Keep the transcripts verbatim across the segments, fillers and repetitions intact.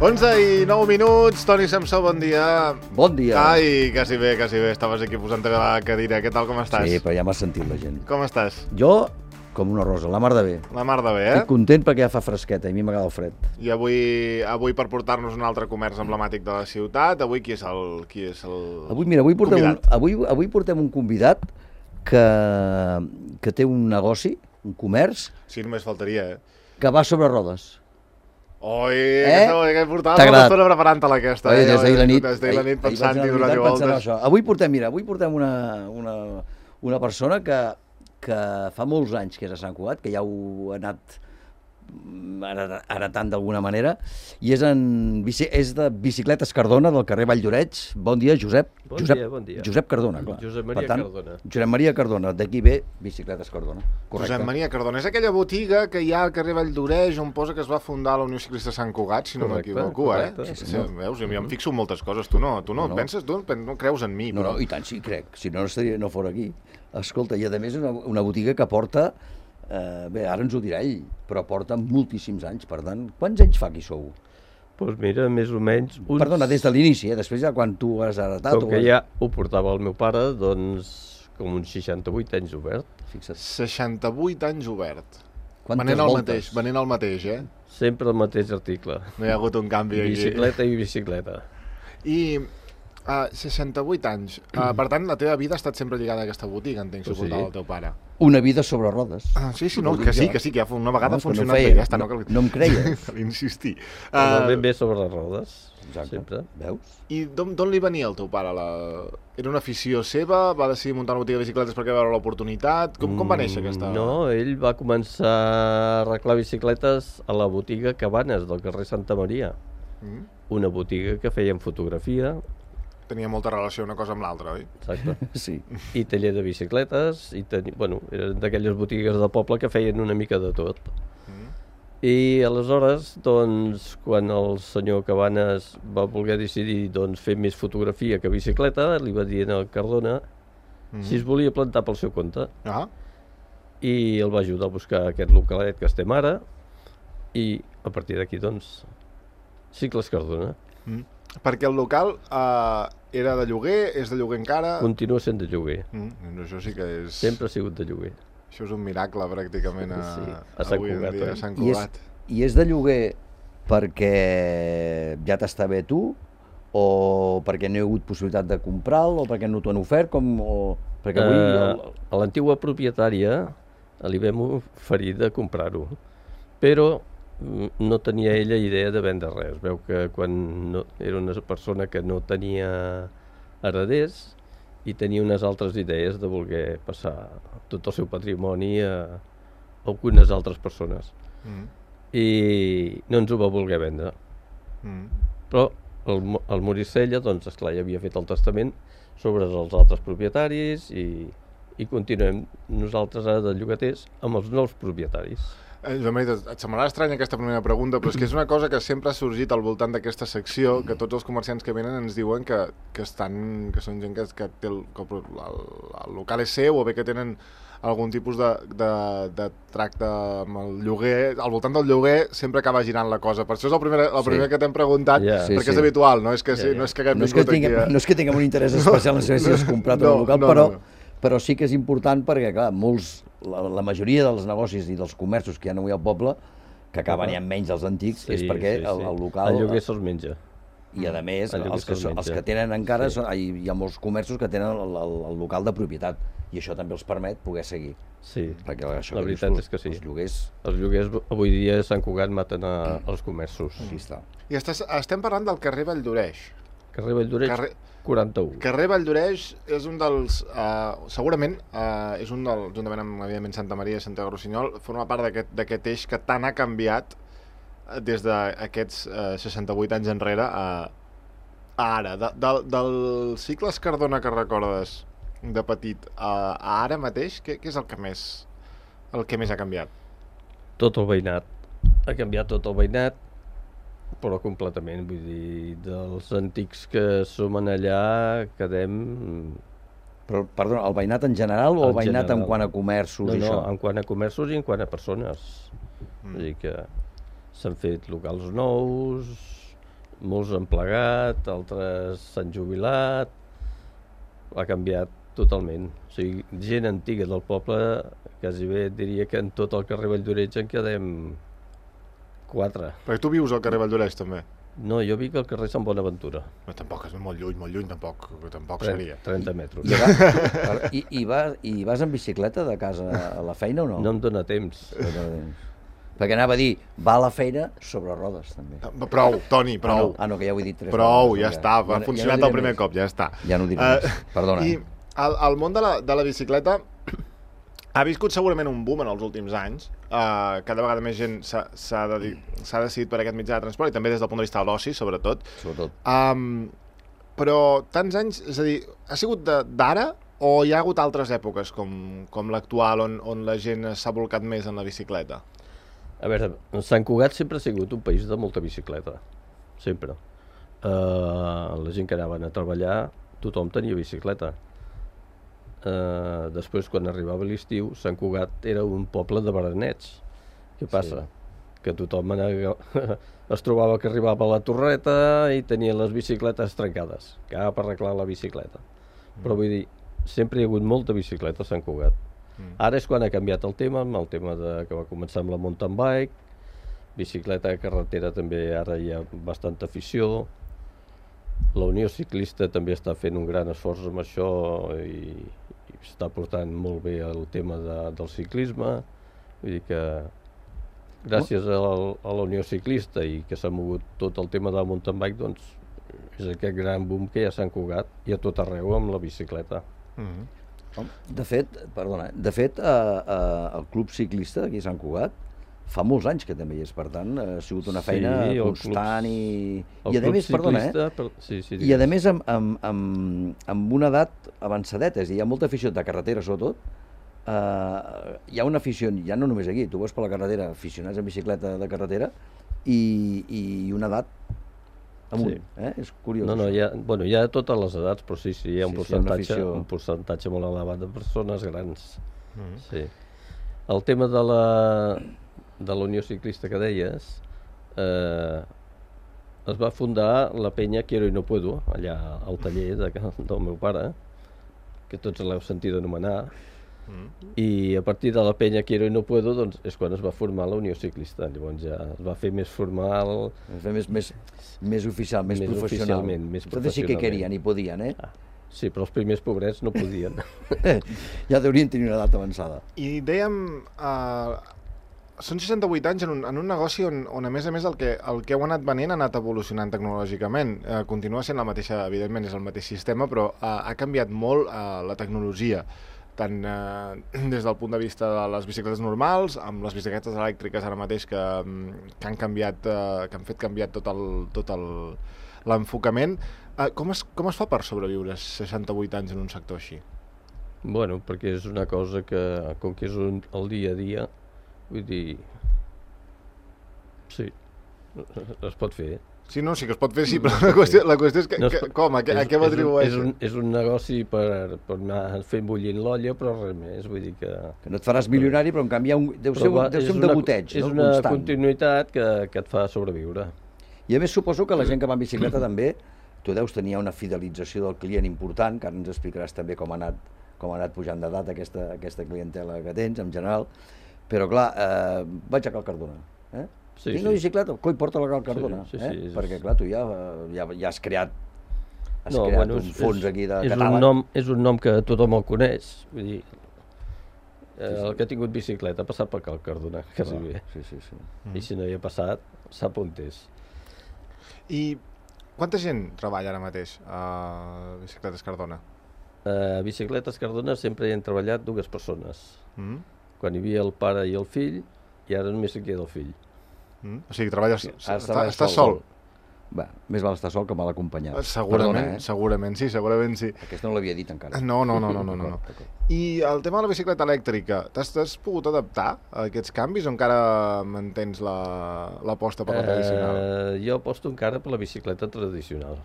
onze i nou minuts, Toni Samsó, bon dia. Bon dia. Ai, quasi bé, quasi bé, estaves aquí posant-te a la cadira. Què tal, com estàs? Sí, però ja m'ha sentit la gent. Com estàs? Jo, com una rosa, la mar de bé. La mar de bé, eh? Estic content perquè ja fa fresqueta i a mi m'agrada el fred. I avui, avui per portar-nos un altre comerç emblemàtic de la ciutat, avui qui és el, qui és el Avui, mira, avui portem, un, convidat? avui, avui portem un convidat que, que té un negoci, un comerç, Sí, només faltaria, eh? que va sobre rodes. Oi, Eh? aquesta, que portaves T'ha una agradat? estona preparant-te-la aquesta. Oi, eh? des d'ahir la nit, Des d'ahir la nit ahir- ahir pensant-hi, vaig anar a donant-hi la veritat pensant voltes. això. Avui portem, mira, avui portem una, una, una persona que, que fa molts anys que és a Sant Cugat, que ja ho ha anat heretant d'alguna manera, i és, en, bici- és de Bicicletes Cardona, del carrer Valldoreix. Bon dia, Josep. Bon Josep, dia, bon dia. Josep Cardona, clar. Josep Maria Per tant, Cardona. Josep Maria Cardona, d'aquí ve Bicicletes Cardona. Correcte. Josep Maria Cardona, és aquella botiga que hi ha al carrer Valldoreix on posa que es va fundar la Unió Ciclista Sant Cugat, si no Correcte, m'equivoco, eh? correcte. Sí, sí, veus, jo em fixo en moltes coses, tu no, tu no, No, no. penses, tu no creus en mi, No, però... no, i tant, sí, crec. Si no, no estaria, no fora aquí. Escolta, i a més una, una botiga que porta, eh, bé, ara ens ho dirà ell, però porta moltíssims anys. Per tant, quants anys fa que hi sou? Doncs mira, més o menys... Uns... Perdona, des de l'inici, eh? Després ja quan tu has heretat... Com que ja ho portava el meu pare, doncs com uns seixanta-vuit anys obert. Fixa't. seixanta-vuit anys obert. Quantes Venent el voltes? mateix, venent el mateix, eh? Sempre el mateix article. No hi ha hagut un canvi aquí. Bicicleta i bicicleta. I uh, seixanta-vuit anys. Uh, per tant, la teva vida ha estat sempre lligada a aquesta botiga, entenc, Pues si sí. portava el teu pare. Una vida sobre rodes. Ah, sí, sí, no, Ho dic que sí, jo. que sí, que ja fa una vegada No, ha és que no funcionat feia, bé, ja està. no- No, cal... no em creies. Cal insistir. Uh... Uh, Ben bé sobre les rodes, Exacte. sempre. Veus? I d'on d'on li venia el teu pare? La... Era una afició seva? Va decidir muntar una botiga de bicicletes perquè va veure l'oportunitat? Com, com va néixer aquesta...? Mm, No, ell va començar a arreglar bicicletes a la botiga Cabanes del carrer Santa Maria. Mm? Una botiga que feien fotografia, Tenia molta relació una cosa amb l'altra, oi? exacte, Sí. i taller de bicicletes, i teni... bueno, eren d'aquelles botigues de poble que feien una mica de tot. Mm? I aleshores, doncs, quan el senyor Cabanes va voler decidir doncs, fer més fotografia que bicicleta, li va dir al Cardona Mm? si es volia plantar pel seu compte. Ah? I el va ajudar a buscar aquest localet que estem ara, i a partir d'aquí, doncs, Cicles Cardona. Mm. Perquè el local uh, era de lloguer, és de lloguer encara... Continua sent de lloguer. Mm, això sí que és... Sempre ha sigut de lloguer. Això és un miracle, pràcticament, a, Sí, a Sant avui en Cugat, dia, oi? a Sant I és, Cugat. I és de lloguer perquè ja t'està bé tu, o perquè no hi ha hagut possibilitat de comprar-lo, o perquè no t'ho han ofert, com... O... Perquè avui... Eh, el- a l'antiga propietària li vam oferir de comprar-ho, però mm, no tenia ella idea de vendre res. Veu que quan no, era una persona que no tenia hereders i tenia unes altres idees de voler passar tot el seu patrimoni a, a algunes altres persones. Mm. I no ens ho va voler vendre. Mm. Però el, Mo- el Moricella, doncs, esclar, ja havia fet el testament sobre els altres propietaris i, i continuem nosaltres ara de llogaters amb els nous propietaris. Eh, Joan Maria, et semblarà estranya aquesta primera pregunta, però és que és una cosa que sempre ha sorgit al voltant d'aquesta secció, que tots els comerciants que venen ens diuen que, que, estan, que són gent que, que té el, que el, el local és seu, o bé que tenen algun tipus de, de, de tracte amb el lloguer. Al voltant del lloguer sempre acaba girant la cosa. Per això és el primer, el primer Sí. que t'hem preguntat, Ja. Sí, perquè sí. és habitual, no és que, Ja, ja. no és que haguem No és que, vingut tinguem, aquí a... no és que tinguem un interès especial en saber si has comprat No, el local, no, però, no, no. però sí que és important perquè, clar, molts, la, la majoria dels negocis i dels comerços que hi ha avui al poble, que acaben ja menys els antics, és perquè el, el local... El lloguer se'ls menja. I a més, El lloguer els que, se'ls els menja. que tenen encara, Sí. són, hi, hi ha molts comerços que tenen el, el, el local de propietat, i això també els permet poder seguir. Sí, Perquè això la que dius veritat tu, és que sí. Els lloguers, Els lloguers avui dia a Sant Cugat maten a, als comerços. aquí està. I estàs, estem parlant del carrer Valldoreix. Carrer Valldoreix, Carrer- quaranta-u. Carrer Valldoreix és un dels... Uh, segurament uh, és un del, juntament amb, evidentment, Santa Maria i Santiago Rossinyol, forma part d'aquest d'aquest eix que tant ha canviat eh, des d'aquests uh, seixanta-vuit anys enrere a, a ara. De, de, del Cicles Cardona que recordes de petit a, a ara mateix, què, què és el que més el que més ha canviat? Tot el veïnat. Ha canviat tot el veïnat, però completament. Vull dir, dels antics que som en allà, quedem... Però, perdona, el veïnat en general o el En veïnat en general. quant a comerços No, i no, això? en quant a comerços i en quant a persones. Mm. Vull dir que s'han fet locals nous, molts han plegat, altres s'han jubilat, ha canviat totalment. O sigui, gent antiga del poble, quasi bé diria que en tot el carrer Valldoreix en quedem quatre. Perquè tu vius al carrer Valldoreix, també? No, jo vic al carrer Sant Bonaventura. No, tampoc, és molt lluny, molt lluny, tampoc, tampoc trenta, seria. trenta metres. I, va, i, i, vas, I vas en bicicleta de casa a la feina o no? No em dóna temps. No dóna temps. Perquè anava a dir, va a la feina sobre rodes, també. Prou, Toni, prou. Ah, no, ah, no que ja ho he dit tres Prou, vegades. ja està, va ja, funcionat ja no el primer més. cop, ja està. Ja no ho diré Uh, més, perdona. I el, el món de la, de la bicicleta ha viscut segurament un boom en els últims anys. Uh, cada vegada més gent s'ha de, decidit per aquest mitjà de transport i també des del punt de vista de l'oci, sobretot. Sobretot. Um, però tants anys, és a dir, ha sigut d'ara o hi ha hagut altres èpoques com, com l'actual on, on la gent s'ha volcat més en la bicicleta? A veure, Sant Cugat sempre ha sigut un país de molta bicicleta, sempre. Uh, la gent que anaven a treballar, tothom tenia bicicleta. Uh, després, quan arribava l'estiu, Sant Cugat era un poble de berenets. Què passa? Sí. Que tothom anava, es trobava que arribava a la torreta i tenia les bicicletes trencades, cap a arreglar la bicicleta. Mm. Però vull dir, sempre hi ha hagut molta bicicleta a Sant Cugat. Mm. Ara és quan ha canviat el tema, amb el tema de, que va començar amb la mountain bike, bicicleta de carretera també ara hi ha bastanta afició. La Unió Ciclista també està fent un gran esforç amb això i, i està portant molt bé el tema de, del ciclisme. Vull dir que gràcies a, a la Unió Ciclista i que s'ha mogut tot el tema de la mountain bike, doncs és aquest gran boom que hi ha a Sant Cugat i a tot arreu amb la bicicleta. Mm-hmm. De fet, perdona, de fet eh, eh, el club ciclista aquí a Sant Cugat fa molts anys que també hi és, per tant, ha sigut una feina sí, constant club, i... I a més, perdona, eh? Per, sí, sí, I a més amb, amb, amb, amb una edat avançadeta, és a dir, hi ha molta afició de carretera sobretot, eh, hi ha una afició, ja no només aquí, tu vas per la carretera, aficionats en bicicleta de carretera, i, i una edat amunt, sí. eh? És curiós. No, no, hi ha, bueno, hi ha totes les edats, però sí, sí, hi ha un, sí, percentatge, sí, un percentatge molt elevat de persones grans. Mm-hmm. Sí. El tema de la, de la Unió Ciclista que deies, eh, es va fundar la penya Quiero y no puedo, allà al taller de, del meu pare, que tots l'heu sentit anomenar, mm. i a partir de la penya Quiero y no puedo doncs, és quan es va formar la Unió Ciclista. Llavors ja es va fer més formal, es va fer més, més, més oficial, més, més professional. Oficialment, més Entonces sí que querien i podien, eh? Ah, sí, però els primers pobrets no podien. Ja deurien tenir una edat avançada. I dèiem, uh, són seixanta-vuit anys en un, en un negoci on, on a més a més el que, el que heu anat venent ha anat evolucionant tecnològicament. Uh, continua sent la mateixa, evidentment és el mateix sistema, però uh, ha canviat molt uh, la tecnologia, tant uh, des del punt de vista de les bicicletes normals, amb les bicicletes elèctriques ara mateix que, que han canviat, uh, que han fet canviar tot el, tot el, l'enfocament. Uh, com, es, com es fa per sobreviure seixanta-vuit anys en un sector així? Bueno, perquè és una cosa que, com que és un, el dia a dia, vull dir, sí, es pot fer. Sí, no, sí que es pot fer, sí, però la qüestió, la qüestió és que, no es, que com, a, és, a què ho atribueixen? És un, és un negoci per, per anar fent bullint l'olla, però res més, vull dir que... Que no et faràs milionari, però en canvi un, deu ser, va, deu ser un una, degoteig, és no? una Constant. Continuïtat que, que et fa sobreviure. I a més suposo que la gent que va en bicicleta també, tu deus tenir una fidelització del client important, que ara ens explicaràs també com ha anat, com ha anat pujant d'edat aquesta, aquesta clientela que tens, en general, però clar, eh, vaig a Cal Cardona, eh? Sí, Tinc una sí. bicicleta, coi, porta-la a Cal Cardona, sí, sí, sí, eh? és... Perquè clar, tu ja, ja, ja has creat, has no, creat bueno, un és, fons aquí de és catàleg. Un nom, és un nom que tothom el coneix, vull dir, eh, sí, sí. el que ha tingut bicicleta ha passat per Cal Cardona, quasi Clar, bé. sí, sí, sí. Mm. I si no hi ha passat, sap on és. I quanta gent treballa ara mateix a Bicicletes Cardona? A Bicicletes Cardona sempre hi han treballat dues persones. Mm. Quan hi havia el pare i el fill, i ara només hi queda el fill. Mm. O sigui, treballes... Ara Està, estàs sol? sol. Bé, més val estar sol que mal acompanyat. Segurament, Perdona, eh? segurament sí, segurament sí. Aquesta no l'havia dit encara. No, no, no, no, no, no. I el tema de la bicicleta elèctrica, t'has pogut adaptar a aquests canvis o encara mantens l'aposta per la tradicional? Eh, jo aposto encara per la bicicleta tradicional.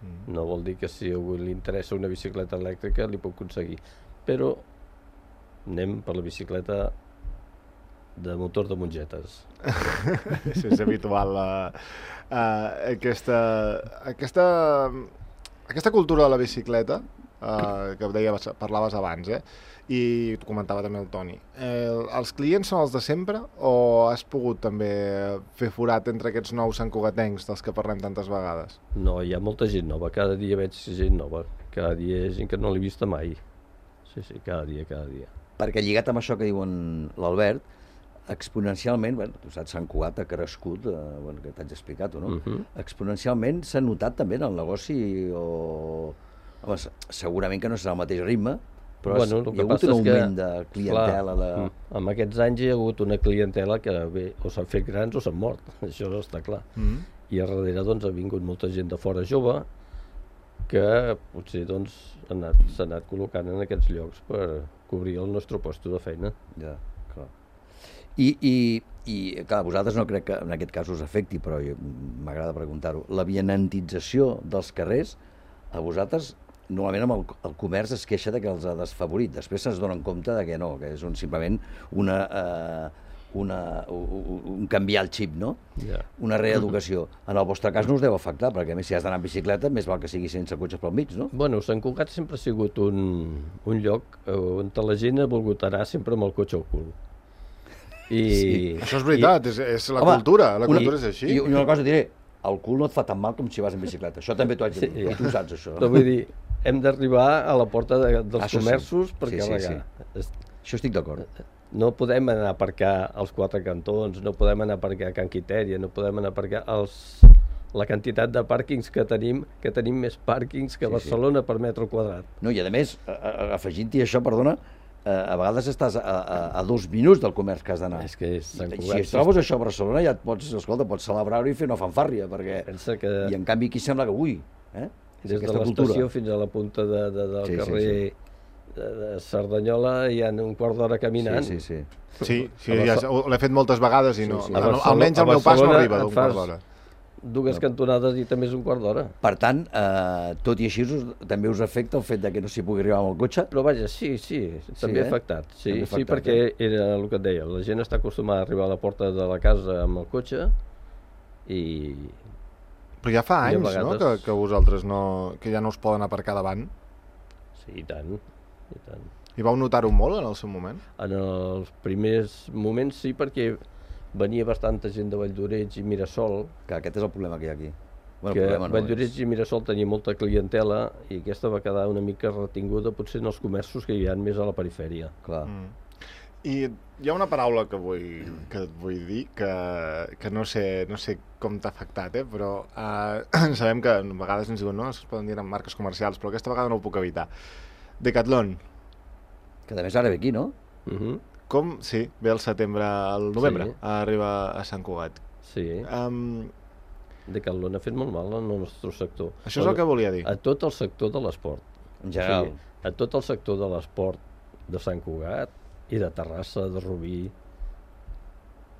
Mm. No vol dir que si a algú li interessa una bicicleta elèctrica li puc aconseguir, però anem per la bicicleta de motor de mongetes. Això és habitual. Uh, uh, aquesta, aquesta, aquesta cultura de la bicicleta, uh, que deies, parlaves abans, eh? I t'ho comentava també el Toni. Eh, els clients són els de sempre o has pogut també fer forat entre aquests nous santcugatencs dels que parlem tantes vegades? No, hi ha molta gent nova, cada dia veig gent nova, cada dia hi ha gent que no l'he vista mai. Sí, sí, cada dia, cada dia. Perquè lligat amb això que diuen l'Albert, exponencialment, bueno, tu saps, Sant Cugat ha crescut, eh, bueno, que t'haig explicat, no? Uh -huh. Exponencialment s'ha notat també en el negoci, o... Home, segurament que no serà el mateix ritme, però bueno, hi ha hagut un augment que, de clientela. Clar, de... en aquests anys hi ha hagut una clientela que bé, o s'han fet grans o s'han mort, això està clar. Mm. I a darrere doncs, ha vingut molta gent de fora jove que potser doncs, s'ha anat, anat col·locant en aquests llocs per cobrir el nostre lloc de feina. Ja, clar. I, i, i clar, a vosaltres no crec que en aquest cas us afecti, però m'agrada preguntar-ho. La vianantització dels carrers, a vosaltres, normalment amb el, el comerç es queixa de que els ha desfavorit. Després se'ns donen compte de que no, que és un, simplement una, eh, una, un, un canviar el xip, no? Yeah. Una reeducació. En el vostre cas no us deu afectar, perquè a més si has d'anar en bicicleta, més val que sigui sense cotxes pel mig, no? Bueno, Sant Cugat sempre ha sigut un, un lloc on la gent ha volgut anar sempre amb el cotxe al cul. I, sí. Això és veritat, i, és, és la home, cultura, la una, cultura és així. I una cosa diré, el cul no et fa tan mal com si vas en bicicleta. Això també t'ho haig de dir, sí, ja. Tu saps això. Però vull dir, hem d'arribar a la porta de, dels això comerços sí. per sí, carregar. Sí, sí. Això estic d'acord. No podem anar a aparcar als quatre cantons, no podem anar a aparcar a Can Quitèria, no podem anar a aparcar els... la quantitat de pàrquings que tenim, que tenim més pàrquings que sí, Barcelona sí. per metre quadrat. No, i a més, afegint-hi això, perdona, a vegades estàs a, a, a dos minuts del comerç que has d'anar. És que és Sant Cugat. Si es trobes això a Barcelona ja et pots, escolta, pots celebrar-ho i fer una fanfàrria, perquè... Pensa que... I en canvi aquí sembla que, ui, eh? Des de l'estació fins a la punta de, de, del sí, carrer sí, sí. De, de Cerdanyola hi ha un quart d'hora caminant. Sí, sí, sí. Sí, sí ja l'he fet moltes vegades i no, sí, sí. almenys el meu pas no arriba d'un quart d'hora. Dues cantonades i també és un quart d'hora. Per tant, eh, tot i així us, també us afecta el fet de que no s'hi pugui arribar amb el cotxe? Però vaja, sí, sí, també ha eh? afectat. Sí, també sí, perquè eh? era el que et deia, la gent està acostumada a arribar a la porta de la casa amb el cotxe i... Però ja fa anys, vegades... no?, que, que vosaltres no, que ja no us poden aparcar davant. Sí, i tant, i tant. I vau notar-ho molt en el seu moment? En els primers moments sí, perquè venia bastanta gent de Valldoreix i Mirasol. Que aquest és el problema que hi ha aquí. Bueno, que problema no Valldoreix és... i Mirasol tenia molta clientela i aquesta va quedar una mica retinguda potser en els comerços que hi ha més a la perifèria. Clar. Mm. I hi ha una paraula que vull, que et vull dir, que, que no, sé, no sé com t'ha afectat, eh? Però eh, sabem que a vegades ens diuen no, es poden dir en marques comercials, però aquesta vegada no ho puc evitar. Decathlon. Que a més ara ve aquí, no? Uh -huh. Com? Sí, ve el setembre, el novembre, sí. Arriba a Sant Cugat. Sí. Um, Decathlon ha fet molt mal al nostre sector. Això és el que volia dir. A tot el sector de l'esport. En general. O sigui, a tot el sector de l'esport de Sant Cugat i de Terrassa, de Rubí.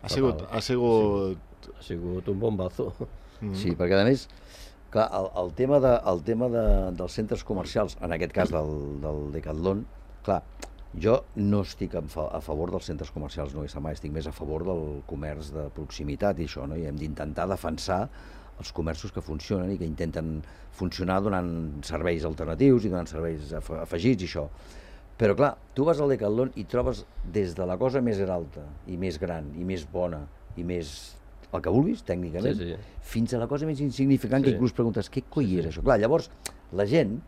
Ha sigut, ha sigut... Ha sigut un bombazo. Mm. Sí, perquè a més, clar, el, el tema, de, el tema de, dels centres comercials, en aquest cas del, del Decathlon, clar, jo no estic a, a favor dels centres comercials, no és mai, estic més a favor del comerç de proximitat i això, no? I hem d'intentar defensar els comerços que funcionen i que intenten funcionar donant serveis alternatius i donant serveis afegits i això. Però clar, tu vas al Decathlon i trobes des de la cosa més alta i més gran i més bona i més el que vulguis, tècnicament, sí, sí. fins a la cosa més insignificant sí. que inclús preguntes què coi sí, és sí. això? Clar, llavors, la gent,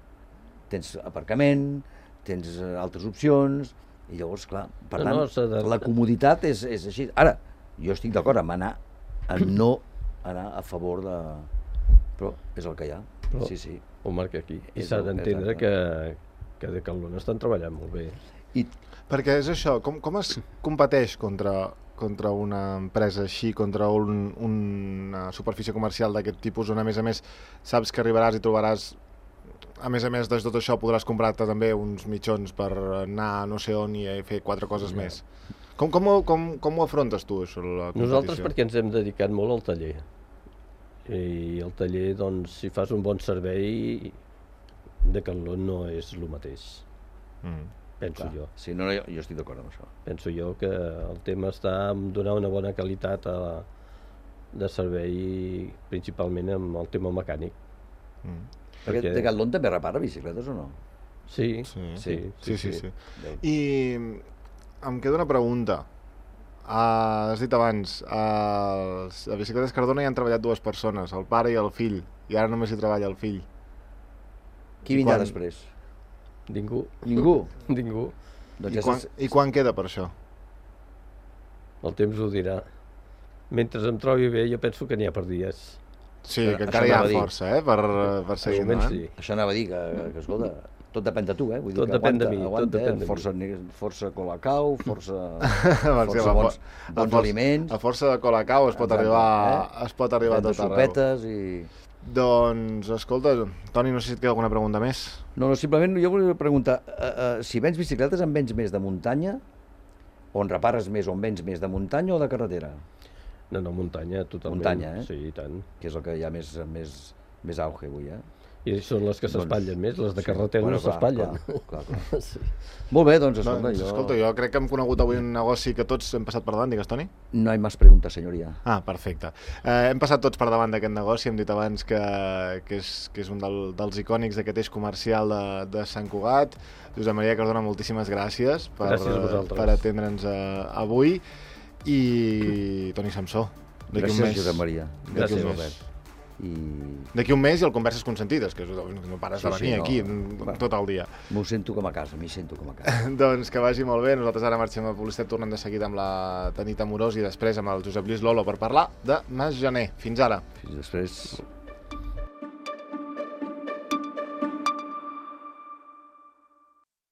tens aparcament, tens altres opcions, i llavors, clar, per no, tant, no, de... la comoditat és, és així. Ara, jo estic d'acord amb anar, a no anar a favor de... Però és el que hi ha, Però sí, sí. Ho marca aquí. I s'ha d'entendre que, que Decathlon estan treballant molt bé. I... Perquè és això, com, com es competeix contra... contra una empresa així, contra un, una superfície comercial d'aquest tipus, on a més a més saps que arribaràs i trobaràs, a més a més de tot això podràs comprar-te també uns mitjons per anar no sé on i fer quatre coses ja. més. Com, com, ho, com, com ho afrontes tu, això, la competició? Nosaltres perquè ens hem dedicat molt al taller. I el taller, doncs, si fas un bon servei, Decathlon no és el mateix. Mm. penso Clar. jo. Sí, no, no, jo, jo estic d'acord amb això. Penso jo que el tema està en donar una bona qualitat a, de servei, principalment amb el tema mecànic. Mm. Perquè Perquè- Decathlon també repara bicicletes o no? Sí, Sí, sí, sí, sí, sí. Déu. I em queda una pregunta. Uh, has dit abans, uh, a Bicicletes Cardona hi han treballat dues persones, el pare i el fill, i ara només hi treballa el fill. Qui I vindrà quan- després? Ningú. Ningú. Ningú. Doncs I ja quan, saps- I quan queda per això? El temps ho dirà. Mentre em trobi bé, jo penso que n'hi ha per dies. Sí, Això- que això encara hi ha anava a dir. força, eh, per, per seguir Almenys endavant. sí. Això anava a dir que, que escolta, tot depèn de tu, eh? Vull dir Tot que depèn de aguanta, mi, tot aguanta, depèn eh? de mi. força, ne- força colacau, força, Perquè força la bons, fo- bons a aliments, A força de colacau es pot Exacte, arribar, eh? es pot arribar a vendre tot arreu. sopetes i... Doncs, escolta, Toni, no sé si et queda alguna pregunta més. No, no, simplement jo volia preguntar, uh, uh, si vens bicicletes en vens més de muntanya, o en repares més o en vens més de muntanya o de carretera? No, no, muntanya, totalment. Muntanya, eh? Sí, i tant. Que és el que hi ha més, més, més auge avui, eh? I són les que Doncs- s'espatllen més, les de sí, carretera bueno, no clar, s'espatllen. clar, clar, clar. Sí. Molt bé, doncs escolta, Doncs, jo... escolta, jo crec que hem conegut avui un negoci que tots hem passat per davant, digues, Toni? No hay más preguntas, senyoria. Ah, perfecte. Eh, hem passat tots per davant d'aquest negoci, hem dit abans que, que, és, que és un del, dels icònics d'aquest eix comercial de, de Sant Cugat. Josep Maria Cardona, moltíssimes gràcies per, Gràcies a vosaltres. per atendre'ns eh, avui. I Toni Samsó, d'aquí un Gràcies, mes. Josep Maria. D'aquí Gràcies, un mes. Albert. I D'aquí un mes i el Converses Consentides, que és, no pares Sí, de sí, venir no. aquí Bueno. tot el dia. m'ho sento com a casa, m'hi sento com a casa. Doncs que vagi molt bé. Nosaltres ara marxem a publicitat, tornem de seguida amb la Tanit Amorós i després amb el Josep Lluís Lolo per parlar de Mas Gener. Fins ara. Fins després...